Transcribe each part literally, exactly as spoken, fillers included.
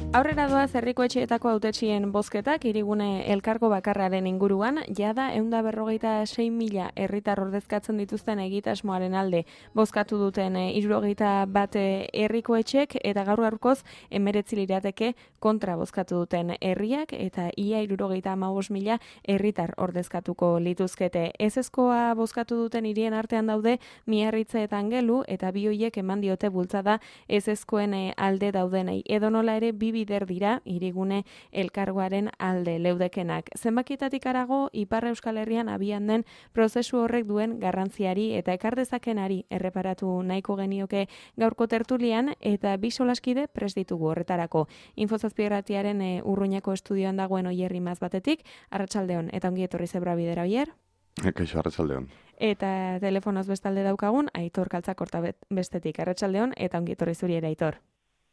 Aurrera doaz herriko etxeetako hautetxien bozketak hirigune elkargo bakarraren inguruan, jada ehun eta berrogeita sei mila herritar ordezkatzen dituzten egitasmoaren alde bozkatu duten hirurogeita bat herriko etxek eta gaur gaurkoz hemeretzi lirateke kontra bozkatu duten herriak eta ia hirurogeita hamabost mila herritar ordezkatuko lituzkete. Ezezkoa bozkatu duten hirien artean daude Miarritze eta Angelu eta bi hoiek eman diote bultzada ezezkoen alde daudenei. Edonola ere bi bider dira hirigune elkargoaren alde leudekenak. Zenbakietatik harago Ipar Euskal Herrian abian den prozesu horrek duen garrantziari eta ekar dezakenari erreparatu nahiko genioke gaurko tertulian eta bi solaskide prest ditugu horretarako. Infozazpierratiaren e, Urruñako estudioan dagoen Oier Imaz batetik, arratsaldeon eta ongi etorri Zebra Bidera Oier. Kaixo, arratsaldeon. Eta telefonoz bestalde daukagun Aitor Kaltzakorta bestetik, arratsaldeon eta ongi etorri zuri ere Aitor.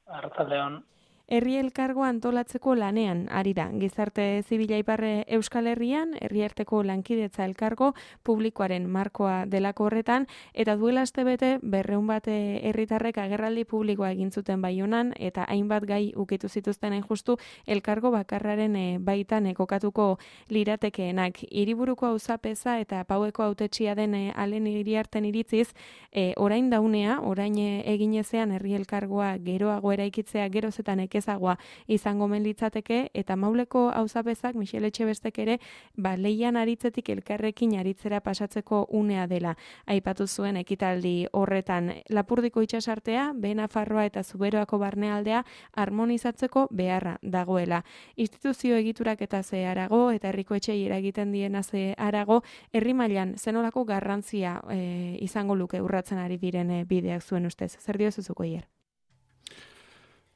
Arratsaldeon. Herri elkargoa antolatzeko lanean ari da. Gizarte Zibila Ipar Euskal Herrian, herriarteko lankidetza elkargo publikoaren markoa delako horretan, eta duela astebete berrehun bat herritarrek agerraldi publikoa egin zuten Baionan eta hainbat gai ukitu zituzten hain justu elkargo bakarraren baitan kokatuko liratekeenak. Hiriburuko auzapeza eta Paueko hautetsia den Alen Iriarten iritziz, e, orain daunea, orain eginezean herri elkargoa geroago eraikitzea geroz eta ezagoa izango men litzateke eta Mauleko auzapezak Michel Etxebestek ere ba leian aritzetik elkarrekin aritzera pasatzeko unea dela aipatu zuen ekitaldi horretan. Lapurdiko itsasartea, Behe-Nafarroa eta Zuberoako barnealdea harmonizatzeko beharra dagoela. Instituzio egiturak eta ze harago eta herriko etxei eragiten diena ze harago herri mailan zenolako garrantzia e, izango luke urratzen ari diren e, bideak zuen ustez. Zer diozu zuko Ier?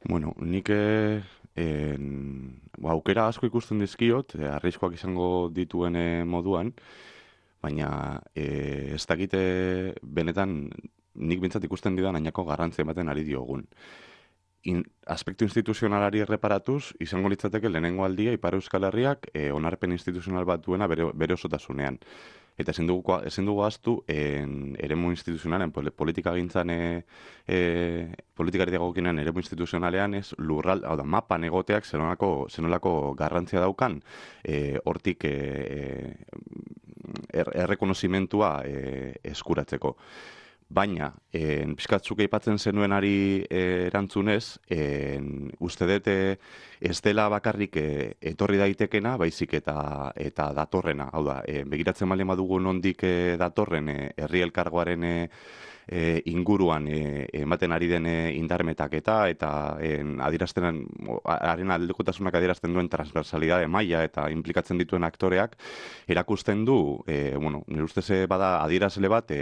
Bueno, nik en, ba, aukera asko ikusten dizkiot, e, arriskoak izango dituen e, moduan, baina e, ez dakite benetan nik bintzat ikusten didan ainako garrantzia ematen ari diogun. In, aspektu instituzionalari erreparatuz, izango litzateke lehenengo aldia Ipar Euskal Herriak e, onarpen instituzional bat duena bere, bere osotasunean. Eta ezin dugu, ezin dugu ahaztu en, eremu instituzionalen, politika gintzan, e, e, politikari dagokinen eremu instituzionalean, ez lurral, hau da, mapan egoteak zenolako, zenolako garrantzia daukan, e, hortik e, er, errekonozimentua e, eskuratzeko. Baina, en, pixkatzuk aipatzen zenuenari e, erantzunez, en, uste dut e, ez dela bakarrik e, etorri daitekena, baizik eta eta datorrena. Hau da, e, begiratzen baldin badugu nondik e, datorren e, herri elkargoaren e, e, inguruan e, ematen ari den e, indarmetaketa eta en, adierazten, haren aldekotasunak adierazten duen transversalidade maila eta implikatzen dituen aktoreak erakusten du, e, bueno, nire ustez bada adierazle bat e,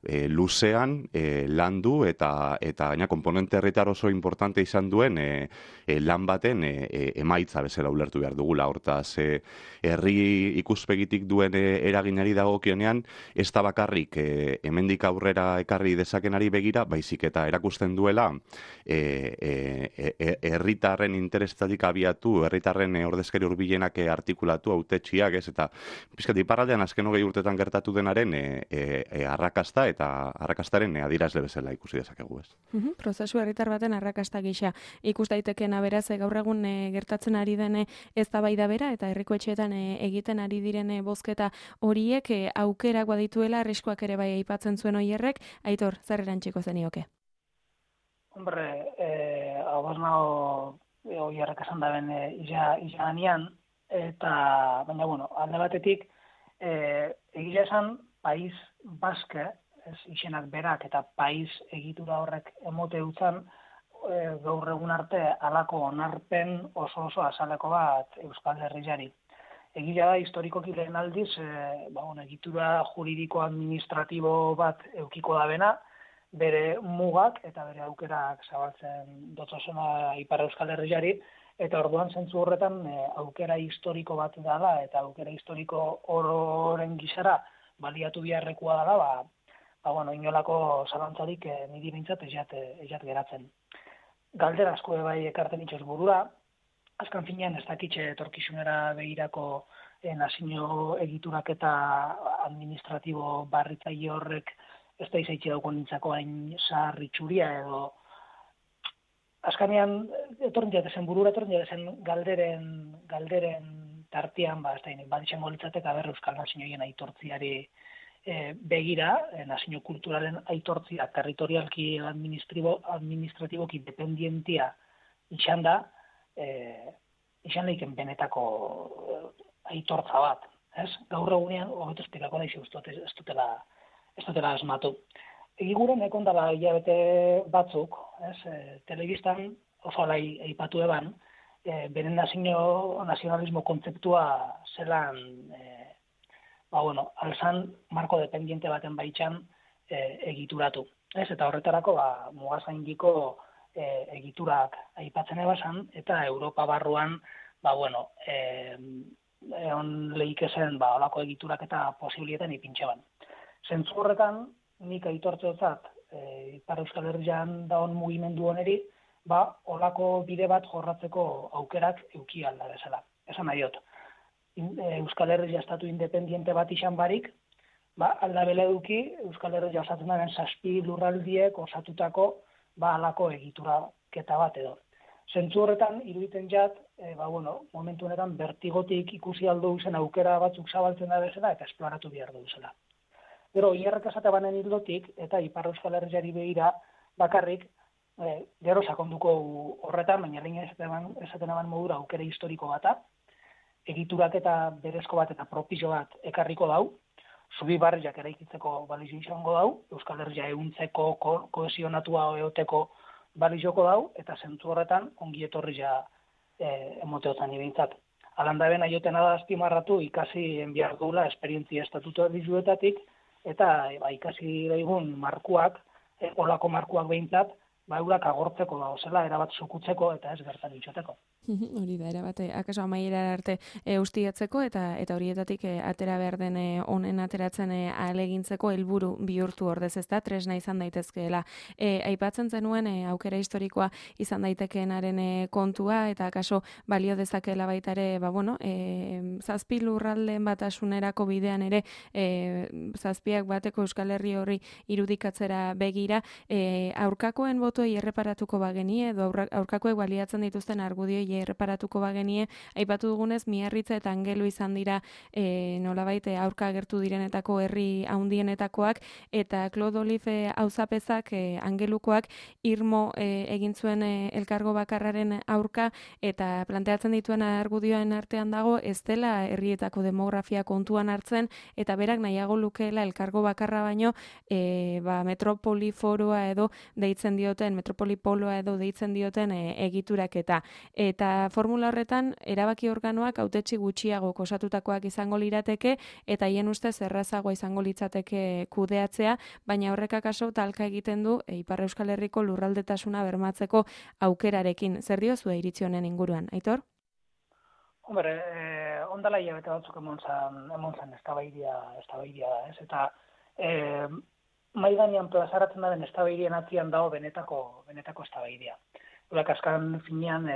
e, luzean e, landu eta eta gaina konponente herritar oso importante izan duen e, e, lan baten e, e, emaitza bezala ulertu behar dugula. Hortaz, e, herri ikuspegitik duen e, eraginari dagokionean, ez da bakarrik e, hemendik aurrera ekarri dezakenari begira, baizik eta erakusten duela e, e, e, herritarren interestatik abiatu, herritarren e, ordezkari hurbilenak e, artikulatu, hautetsiak, ez, eta pizkat iparraldean azken hogei urtetan gertatu denaren e, e, e, arrakasta eta arrakastaren e, adierazle bezala ikusi dezakegu, ez. Uhum, prozesu herritar baten arrakasta gisa ikus daitekeena beraz e, gaur egun e, gertatzen ari den eztabaida bera eta herriko etxeetan e, egiten ari diren e, bozketa horiek e, aukerak badituela arriskoak ere bai aipatzen zuen Oierrek. Aitor, zer erantziko zenioke? Hombre, eh, hau nago Oierrek esan da ben e, ija, ija eta, baina, bueno, alde batetik, e, egia esan, Paiz Baske, ez izenak berak eta Paiz egitura horrek emote utzan, e, gaur egun arte halako onarpen oso oso azaleko bat Euskal Herriari. Egia da, historikoki lehen aldiz, e, ba, bueno, egitura juridiko administratibo bat eukiko da bena, bere mugak eta bere aukerak zabaltzen dotzosena Ipar Euskal Herriari, eta orduan zentzu horretan e, aukera historiko bat dala eta aukera historiko ororen gisara baliatu biharrekoa dela, ba, ba, bueno, inolako zalantzarik e, niri bintzat ezat, ezat geratzen. Galdera asko bai ekarten itxoz burura, azkan finean ez dakitxe etorkizunera begirako e, nazio egiturak eta administratibo barritzaile horrek ez da izaitxe dauko nintzako hain zahar itxuria edo azkanean etorren jatezen burura, etorren jatezen galderen, galderen tartian, ba, ez da, bat izango litzatek, aber Euskal Nazioen aitortziari e, begira, e, nazio kulturalen aitortzia, territorialki administratiboki dependientia izan da, e, izan leiken benetako aitortza bat, ez? Gaur egunean, hobeto esplikako da, ez dutela, ez dutela asmatu. Egiguren ekondala hilabete batzuk, ez, e, telebistan oso alai aipatu eban, e, beren nazio, nazionalismo kontzeptua zelan, e, ba, bueno, alzan marko dependiente baten baitxan e, egituratu. Ez, eta horretarako, ba, mugazaindiko e, egiturak aipatzen ebasan, eta Europa barruan, ba, bueno, e, egon lehikezen, ba, olako egiturak eta posibilietan ipintxeban. Zentzu horretan, nik aitortzeotzat, e, Ipar Euskal Herrian daun mugimendu oneri, ba, olako bide bat jorratzeko aukerak euki alda bezala. Esan nahi dut, Euskal Herria estatu independiente bat izan barik, ba, alda bele eduki Euskal Herria osatzen daren zazpi lurraldiek osatutako ba, alako egituraketa bat edo. Zentzu horretan, iruditen jat, e, ba, bueno, momentu honetan bertigotik ikusi aldo zen aukera batzuk zabaltzen da bezala eta esploratu behar du zela. Gero, hierrek esate banen hildotik, eta Ipar Euskal Herriari begira bakarrik, e, gero sakonduko horretan, baina lehen esaten eban modura aukera historiko bata, egiturak eta berezko bat eta propizio bat ekarriko dau, zubi barriak eraikitzeko balizio izango dau, Euskal Herria ehuntzeko ko, kohesionatua eoteko balizioko dau, eta zentzu horretan ongi etorria e, emoteotan ibintzat. Alanda ben aiotena da azpimarratu ikasi enbiar duela esperientzia estatutu dizuetatik, eta ba, ikasi daigun markuak, e, olako markuak behintzat, ba, eurak agortzeko da, zela, erabat sukutzeko eta ez gertan itxoteko. Hori da, erabate, akaso amaiera arte e, ustiatzeko eta eta horietatik e, atera behar den e, honen ateratzen e, alegintzeko helburu bihurtu ordez, ez da, tresna izan daitezkeela. E, aipatzen zenuen e, aukera historikoa izan daitekeenaren e, kontua eta akaso balio dezakeela baita ere, ba, bueno, e, zazpi lurraldeen batasunerako bidean ere e, zazpiak bateko Euskal Herri horri irudikatzera begira, e, aurkakoen botuei erreparatuko bagenie edo aurkakoek baliatzen dituzten argudioi erreparatuko bagenie, aipatu dugunez Miarritza eta Angelu izan dira e, nolabait aurka agertu direnetako herri handienetakoak eta Claude Olive auzapezak e, Angelukoak irmo e, egin zuen e, elkargo bakarraren aurka eta planteatzen dituen argudioen artean dago ez dela herrietako demografia kontuan hartzen eta berak nahiago lukeela elkargo bakarra baino e, ba, metropoliforoa edo deitzen dioten, metropolipoloa edo deitzen dioten e, egituraketa. Eta Eta formula horretan, erabaki organoak hautetsi gutxiago osatutakoak izango lirateke, eta hien ustez errazagoa izango litzateke kudeatzea, baina horrek akaso talka egiten du e, Ipar Euskal Herriko lurraldetasuna bermatzeko aukerarekin. Zer diozu iritzi honen inguruan, Aitor? Hombre, eh, ondala hilabete batzuk emon zan eztabaidia da, ez? Eta eh, mai gainean plazaratzen daren eztabaidien atzian dago benetako, benetako eztabaidia. Urak askan finean e,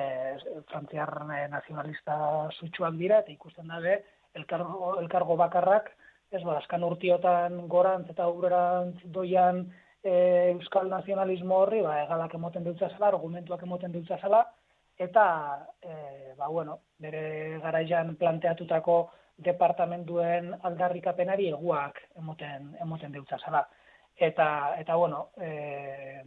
frantziar e, nazionalista sutsuak dira, eta ikusten dabe elkargo, elkargo bakarrak, ez ba, askan urtiotan gorantz eta aurrerantz doian e, euskal nazionalismo horri, ba, egalak emoten dutza zela, argumentuak emoten dutza zela, eta, e, ba, bueno, bere garaian planteatutako departamentuen aldarrikapenari eguak emoten, emoten dutza zela. Eta, eta bueno, e,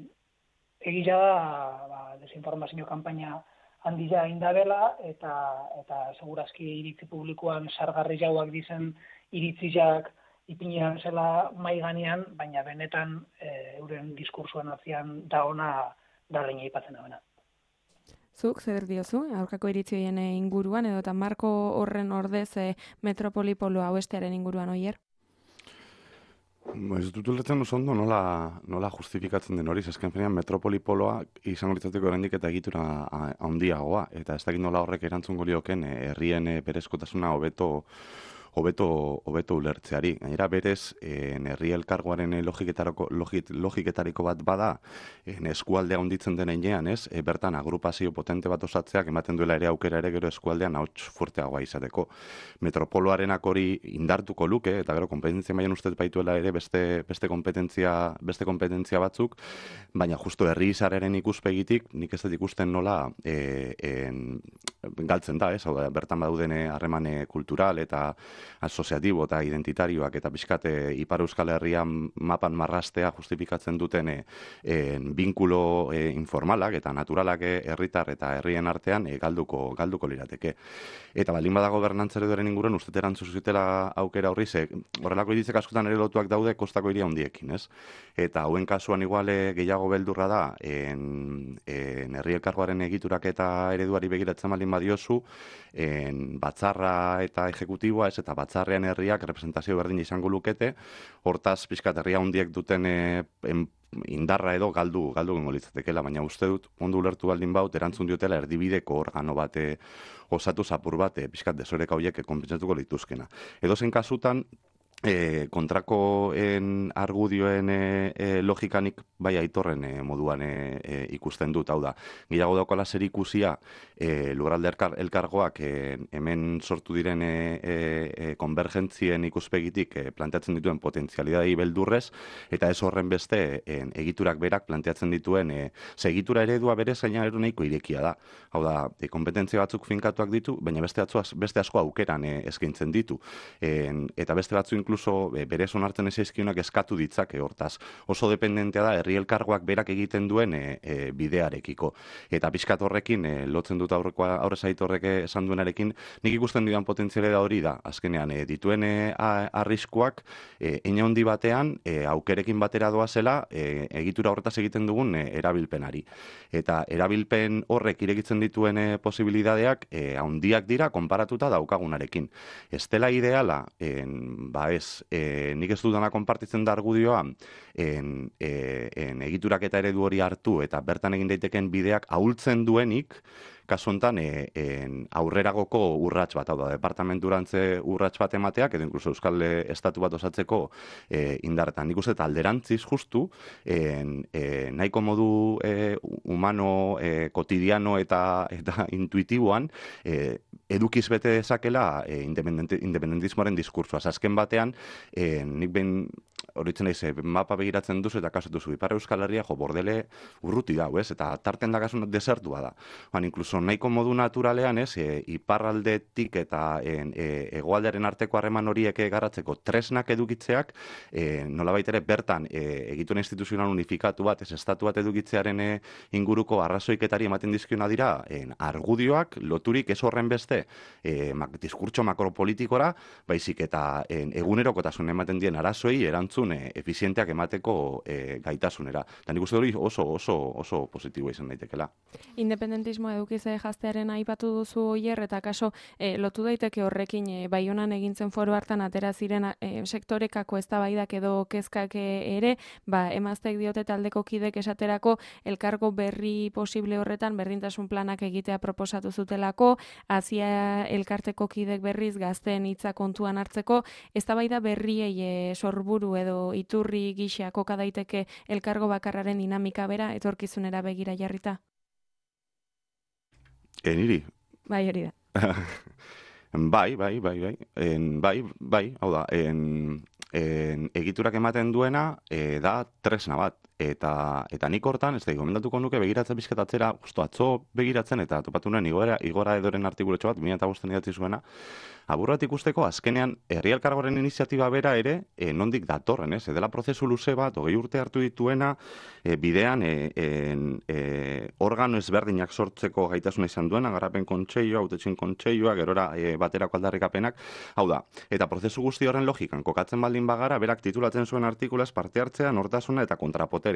egia da, ba, desinformazio kanpaina handia indabela, eta, eta segurazki iritzi publikoan sargarri jauak dizen iritziak ipinean zela mai ganean, baina benetan e, euren diskursuan atzian da ona da leina ipatzen abena. Zuk, zer diozu, aurkako iritzioien inguruan, edo eta marko horren ordez e, metropolipolo hauestearen inguruan, oier? Ez dut ulertzen oso ondo nola, nola justifikatzen den hori, azken finean metropolipoloa izango litzateko oraindik eta egitura handiagoa, eta ez dakit nola horrek erantzungo lioken herrien berezkotasuna hobeto hobeto hobeto ulertzeari. Gainera berez, en herri elkargoaren logiketariko logiketariko bat bada, en eskualdea handitzen den heinean, ez? E, bertan agrupazio potente bat osatzeak ematen duela ere aukera ere gero eskualdean ahots fuerteagoa izateko. Metropoloarenak hori indartuko luke eta gero konpetentzia mailan uste baituela ere beste beste konpetentzia beste konpetentzia batzuk, baina justo herri izarraren ikuspegitik nik ez dut ikusten nola e, en, galtzen da, ez? Hau da, bertan baduden harremane kultural eta asoziatibo eta identitarioak eta pixkate Ipar Euskal Herrian mapan marrastea justifikatzen duten e, e, binkulo e, informalak eta naturalak herritar eta herrien artean e, galduko galduko lirateke. Eta baldin bada gobernantza ereduaren inguruan uste erantzu zutela aukera horri ze horrelako iritzek askotan ere lotuak daude kostako hiria handiekin, ez? Eta hauen kasuan iguale gehiago beldurra da en, en herri elkargoaren egiturak eta ereduari begiratzen baldin badiozu, en batzarra eta ejekutiboa, ez, eta batzarrean herriak representazio berdin izango lukete, hortaz pixkat herria handiek duten e, en, indarra edo galdu galdu gengo litzatekeela, baina uste dut ondo ulertu baldin baut erantzun diotela erdibideko organo bate osatu zapur bate pixkat desoreka horiek konpentsatuko lituzkena. Edozein kasutan E, kontrako en argudioen e, e, logikanik bai aitorren e, moduan e, e, ikusten dut, hau da. Gehiago daukala zer ikusia e, lurralde elkar, elkargoak e, hemen sortu diren e, e, konvergentzien ikuspegitik e, planteatzen dituen potentzialidadei beldurrez, eta ez horren beste e, egiturak berak planteatzen dituen e, segitura eredua berez gaina ero nahiko irekia da. Hau da, e, kompetentzia batzuk finkatuak ditu, baina beste, atzuaz, beste asko aukeran e, eskaintzen ditu. E, eta beste batzu inkluso e, berez onartzen ezaizkionak eskatu ditzake hortaz. Oso dependentea da herri elkargoak berak egiten duen e, e, bidearekiko. Eta pixkat horrekin, e, lotzen dut aurrekoa aurrez aitorrek esan duenarekin, nik ikusten dudan potentziale da hori da. Azkenean, e, dituen e, arriskuak, e, eine handi batean, e, aukerekin batera doazela, e, egitura horretaz egiten dugun e, erabilpenari. Eta erabilpen horrek irekitzen dituen e, posibilidadeak, e, handiak dira, konparatuta daukagunarekin. Ez dela ideala, en, ba ez, e, nik ez dudana konpartitzen da argudioa, en, e, en egiturak eta eredu hori hartu eta bertan egin daiteken bideak ahultzen duenik, kasu honetan e, en, aurreragoko urrats bat, hau da, departamenturantze urrats bat emateak, edo inkluso Euskal Estatu bat osatzeko e, indarretan. Nik uste eta alderantziz justu, en, e, nahiko modu e, humano, e, kotidiano eta, eta intuitiboan, e, edukiz bete dezakela e, independentismoaren diskursoa. Azken batean, e, nik behin horitzen naiz, mapa begiratzen duzu eta kasu duzu, Ipar Euskal Herria jo bordele urruti dau, ez? Eta tarten da kasu desertua da. Ban, inkluso nahiko modu naturalean, ez, e, iparraldetik eta en, e, hegoaldearen arteko harreman horiek garatzeko tresnak edukitzeak, e, nolabait ere bertan e, egituen instituzional unifikatu bat, ez estatu bat edukitzearen e, inguruko arrazoiketari ematen dizkiona dira, en, argudioak loturik ez horren beste e, mak, diskurtso makropolitikora, baizik eta en, egunerokotasun ematen dien arazoei erantzun e, efizienteak emateko e, gaitasunera. Eta nik uste hori oso, oso, oso positiboa izan daitekela. Independentismoa edukize jaztearen aipatu duzu oier, eta kaso e, lotu daiteke horrekin e, Baionan egintzen foro hartan atera ziren e, sektorekako eztabaidak edo kezkak ere, ba, emazteek diote taldeko kidek esaterako elkargo berri posible horretan berdintasun planak egitea proposatu zutelako, Azia elkarteko kidek berriz gazteen hitza kontuan hartzeko, eztabaida berriei e, sorburu edo iturri gisa koka daiteke elkargo bakarraren dinamika bera etorkizunera begira jarrita? E, niri? Bai, hori da. bai, bai, bai, bai. En, bai, bai, hau da, en, en, egiturak ematen duena e, da tresna bat. Eta, eta nik hortan, ez da, gomendatuko nuke begiratzen bizketatzera, justo atzo begiratzen, eta topatu nuen igora, igora edoren artikuletxo bat, mila eta bosten idatzi zuena, aburrat ikusteko, azkenean, herri elkargoaren iniziatiba bera ere, e, nondik datorren, ez? Edela prozesu luze bat, hogei urte hartu dituena, e, bidean, e, e, organo ezberdinak sortzeko gaitasuna izan duena, garapen kontseilua, hautetxin kontseilua, gerora e, baterako aldarrikapenak, hau da, eta prozesu guzti horren logikan, kokatzen baldin bagara, berak titulatzen zuen artikulaz parte hartzea, nortasuna eta kontrapote.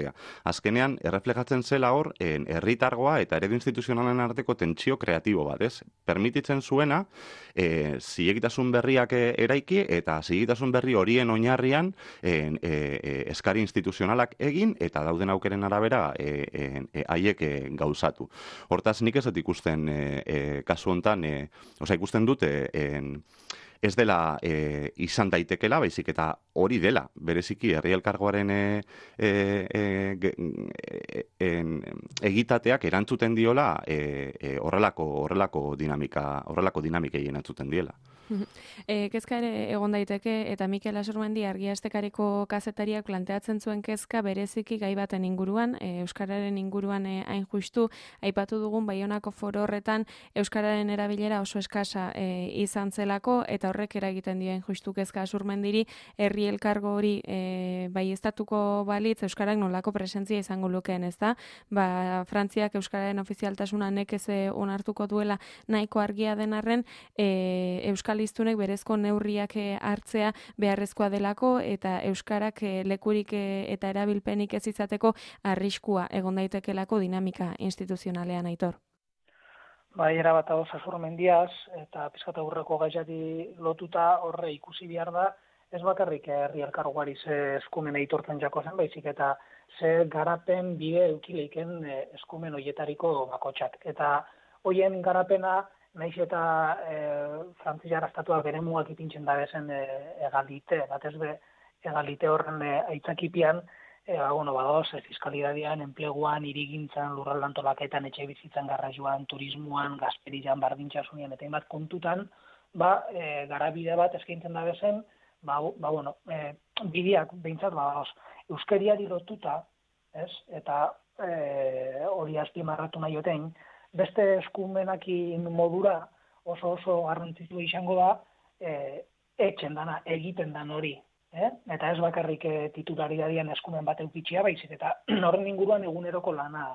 Azkenean, erreflejatzen zela hor, herritargoa eta eredu instituzionalen arteko tentsio kreatibo bat, ez? Permititzen zuena, e, zilegitasun berriak eraiki eta zilegitasun berri horien oinarrian e, e, e, eskari instituzionalak egin eta dauden aukeren arabera haiek e, e, e, gauzatu. Hortaz, nik ez dut ikusten e, e, kasu honetan, e, oza, ikusten dute, e, ez dela e, izan daitekela, baizik eta hori dela, bereziki herri elkargoaren e, e, e, e, egitateak erantzuten diola e, e, horrelako horrelako dinamika, horrelako dinamikei erantzuten diela. E, kezka ere egon daiteke, eta Mikel Asurmendi Argiastekariko kazetariak planteatzen zuen kezka bereziki gai baten inguruan, e, euskararen inguruan e, hain justu, aipatu dugun Baionako foro horretan euskararen erabilera oso eskasa e, izan zelako, eta horrek eragiten dio hain justu kezka Asurmendiri, herri elkargo hori e, bai estatuko balitz euskarak nolako presentzia izango lukeen, ez da? Ba, Frantziak euskararen ofizialtasuna nekez onartuko duela nahiko argia den arren, e, euskal hiztunek berezko neurriak hartzea beharrezkoa delako eta euskarak lekurik eta erabilpenik ez izateko arriskua egon daitekelako dinamika instituzionalean, Aitor. Bai, erabat hau Asurmendiaz eta pizkat aurreko gaiari lotuta horre ikusi behar da, ez bakarrik herri elkargoari ze eskumen aitortzen jako zen, baizik eta ze garapen bide eukileiken eskumen hoietariko bakotxak. Eta hoien garapena naiz eta e, Frantziar estatuak bere mugak ipintzen da bezen e, egalite, batez be egalite horren e, aitzakipian, e, ba, bueno, badoz, e, fiskalidadian, enpleguan, hirigintzan, lurralde antolaketan, etxe bizitzan, garraioan, turismoan, gazterian, bardintxasunian, eta hainbat kontutan, ba, e, garabide bat eskaintzen da bezen, ba, ba bueno, e, bideak behintzat, ba, badoz, euskeriari lotuta, ez, eta e, hori azpimarratu nahi otein, beste eskumenakin modura oso oso garrantzitsua izango da e, etxen dana, egiten dan hori. Eh? Eta ez bakarrik e, titularidadian eskumen bat eukitxia, baizik eta horren inguruan eguneroko lana,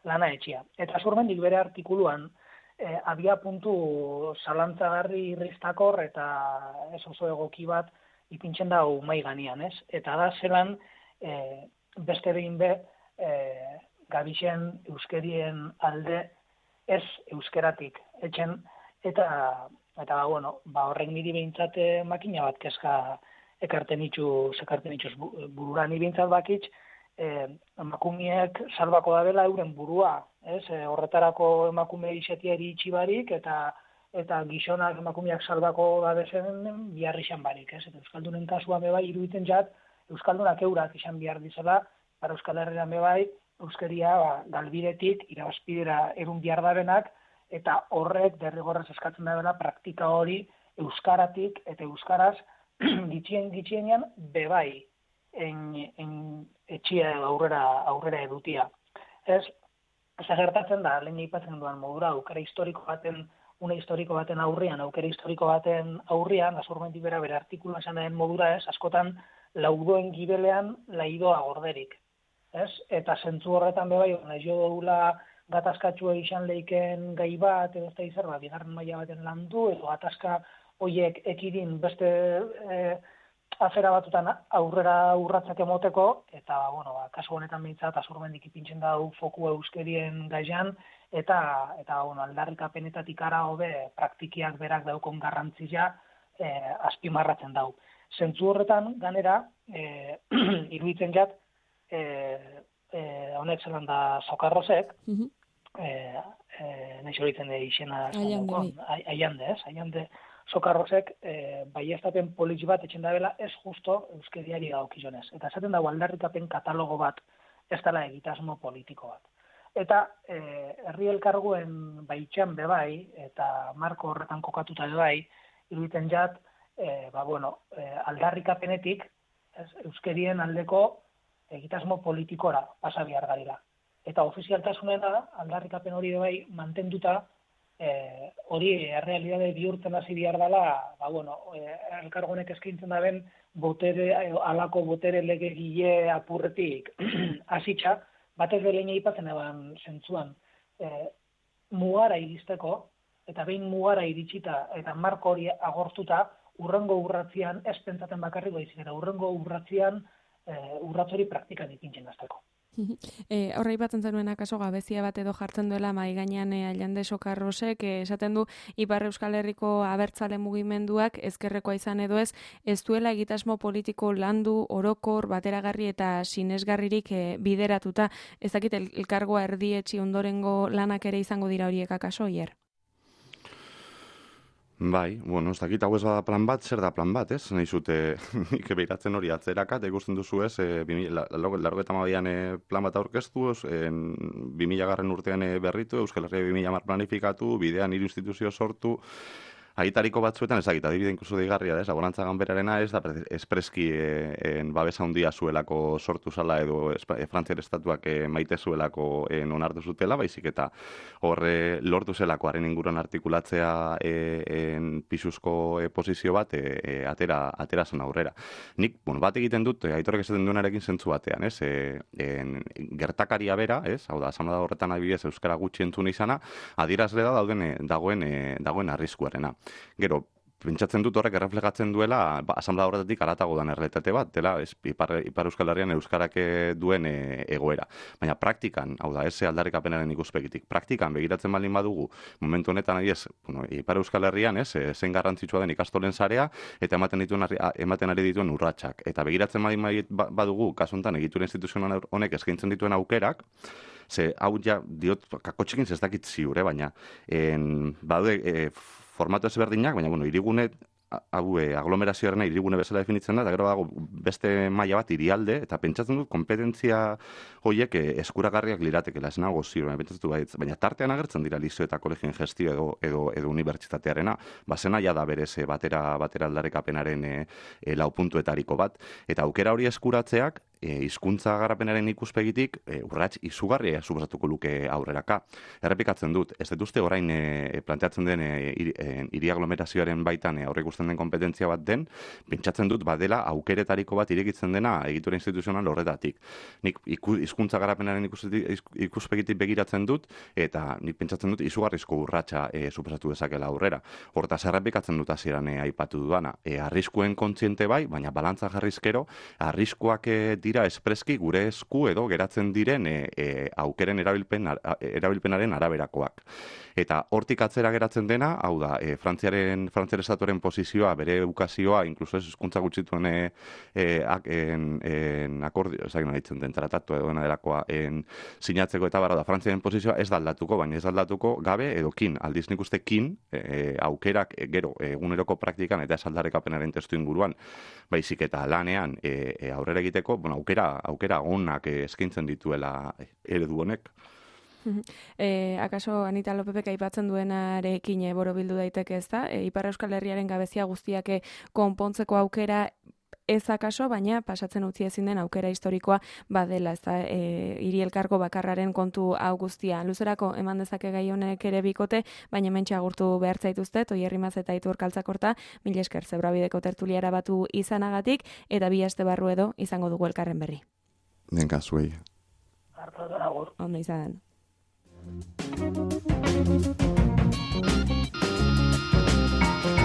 lana etxia. Eta Asurmendik bere artikuluan e, abia puntu zalantzagarri irristakor eta ez oso egoki bat ipintzen da mai ganean, ez? Eta da zelan e, beste behin be e, gabixen euskerien alde ez euskeratik etxen, eta, eta bueno, ba, horrek niri behintzat makina bat kezka ekarten itxu, sekarten itxuz burura. Ni behintzat bakitz, eh, emakumeek salbako da dela euren burua, ez? E, horretarako emakume izetiari itxibarik, eta eta gizonak emakumeak salbako da bezen biharri izan barik, ez? Eta Euskaldunen kasua bebai iruditzen jat, Euskaldunak eurak izan behar dizela, para Euskal Herrian bebai, euskeria ba, galbidetik irabazpidera erun behar dabenak, eta horrek derrigorrez eskatzen da dela praktika hori euskaratik eta euskaraz gitxien gitxienean bebai en, en etxia aurrera, aurrera edutia. Ez, ez gertatzen da, lehen aipatzen duan modura, aukera historiko baten, une historiko baten aurrian, aukera historiko baten aurrian, Asurmendi bera bere artikuluan esan den modura ez, askotan laudoen gibelean laidoa gorderik. Ez? Eta zentzu horretan bebai, nahi jo dugula gatazkatsua izan leiken gai bat, edo ez da izan, ba, bigarren maila baten landu, edo gatazka hoiek ekidin beste e, afera batutan aurrera urratzak emoteko, eta, bueno, ba, kasu honetan behintzat, Asurmendik ipintzen dau foku euskerien gaian, eta, eta bueno, aldarrikapenetatik ara hobe praktikiak berak daukon garrantzia e, azpimarratzen dau. Zentzu horretan, ganera, e, iruditzen jat, Eh, eh, honek zelan da Sokarrosek, uh-huh. eh, eh, nahi horitzen de izena aiande, ez? Aiande Sokarrosek eh, baiestapen politx bat etxen dabela ez justo euskeriari daukizonez. Eta esaten dago aldarrikapen katalogo bat ez dela egitasmo politiko bat. Eta eh, herri elkarguen baitxan bebai, eta marko horretan kokatuta bebai, iruditzen jat, eh, ba, bueno, eh, aldarrikapenetik ez, euskerien aldeko egitasmo politikora pasa behar garela. Eta ofizialtasunena aldarrikapen hori bai mantenduta eh, hori errealidade bihurtzen hasi behar dela, ba, bueno, eh, elkargonek eskaintzen daben botere, alako botere legegile apurretik hasitza, batez belein aipatzen eban zentzuan, eh, mugara iristeko, eta behin mugara iritsita, eta marko hori agortuta, urrengo urratzian, ez pentsaten bakarrik baizik, eta urrengo urratzian Uh, urratzori praktikan ipintzen azteko. E, horra ipatzen zenuen akaso gabezia bat edo jartzen duela mai gainean e, Aiande Sokarrosek, e, esaten du Ipar Euskal Herriko abertzale mugimenduak ezkerrekoa izan edo ez, ez duela egitasmo politiko landu, orokor, bateragarri eta sinesgarririk e, bideratuta. Ez dakit el, elkargoa erdietxi ondorengo lanak ere izango dira horiek akaso, hier? Bai, bueno, ez dakit hau ez bada plan bat, zer da plan bat, ez? Nahi zute, nik behiratzen hori atzerakat, ikusten duzu ez, e, largo eta mabian e, plan bat aurkeztu, bi mila garren urtean e, berritu, Euskal Herria bi mila hamar planifikatu, bidean hiru instituzio sortu, aitariko batzuetan ezagita, adibide inkluso deigarria da, ez, laborantza ganberarena ez da espreski e, en babesa handia zuelako sortu zala edo e, Frantziar estatuak e, maite zuelako e, onartu zutela, baizik eta horre lortu zelako haren inguruan artikulatzea e, en pisuzko e, posizio bat e, e, atera, atera zen aurrera. Nik, bueno, bat egiten dut, e, aitorek esaten duenarekin zentzu batean, ez, e, en, gertakaria bera, ez, hau da, asamblea horretan adibidez euskara gutxi entzun izana, adierazle da dauden, dagoen, e, dagoen arriskuarena. Gero, pentsatzen dut horrek erreflegatzen duela ba, asamblea horretatik aratago dan errealitate bat, dela ez, ipar, ipar Euskal Herrian euskarak duen e, egoera. Baina praktikan, hau da, ez aldarrikapenaren ikuspegitik, praktikan begiratzen baldin badugu, momentu honetan adiez, bueno, ipar Euskal Herrian, ez, zen garrantzitsua den ikastolen sarea, eta ematen dituen ematen ari dituen urratsak. Eta begiratzen baldin badugu, kasu honetan egitura instituzional honek eskaintzen dituen aukerak, ze hau ja, diot, kakotxekin ez dakit ziur, baina en, badaude e, formatu ezberdinak, baina, bueno, hirigune hau e, aglomerazioarena hirigune bezala definitzen da, eta gero dago beste maila bat hirialde, eta pentsatzen dut kompetentzia horiek e, eskuragarriak liratekela, ez nago ziur, baina pentsatzen dut, baina tartean agertzen dira lizio eta kolegioen gestio edo, edo, edo unibertsitatearena, bazena ja da berez e, batera, batera aldarrikapenaren e, e, lau puntuetariko bat, eta aukera hori eskuratzeak, E, hizkuntza garapenaren ikuspegitik e, urrats izugarria suposatuko luke aurreraka. Errepikatzen dut, ez dut uste orain e, planteatzen den hiri aglomerazioaren baitan e, aurre ikusten den kompetentzia bat den, pentsatzen dut badela aukeretariko bat irekitzen dena egitura instituzional horretatik. Nik hizkuntza garapenaren ikuspegitik begiratzen dut, eta nik pentsatzen dut izugarrizko urratsa e, suposatu dezakela aurrera. Hortaz errepikatzen dut hasieran e, aipatu dudana. E, arriskuen kontziente bai, baina balantza jarrizkero, arriskuak e, dira espreski gure esku edo geratzen diren e, e, aukeren erabilpen, erabilpenaren araberakoak. Eta hortik atzera geratzen dena, hau da, e, Frantziaren, Frantziar estatuaren posizioa, bere edukazioa, inkluso ez hizkuntza gutxituen e, e, en, en akordio, ez da ditzen den tratatu edo dena delakoa en, sinatzeko eta barra da, Frantziaren posizioa ez da aldatuko, baina ez da aldatuko gabe edo kin, aldiz nik uste kin e, aukerak e, gero eguneroko praktikan eta ez aldarrikapenaren testu inguruan, baizik eta lanean e, e, aurrera egiteko, bueno, aukera, aukera onak eskaintzen dituela eredu honek. E, akaso Anita Lopepek aipatzen duenarekin e, borobildu daiteke ez da? E, Ipar Euskal Herriaren gabezia guztiak e, konpontzeko aukera ez akaso, baina pasatzen utzi ezin den aukera historikoa badela, ez da, e, hiri elkargo bakarraren kontu hau guztia. Luzerako eman dezake gai honek ere bikote, baina mentxe agurtu behar zaituztet, Oier Rimaz eta Aitor Kaltzakorta, mila esker Zebrabideko tertuliara batu izanagatik, eta bi aste barru edo izango dugu elkarren berri. Denka zuei. Hartatu agur. Ondo izan. Thank you.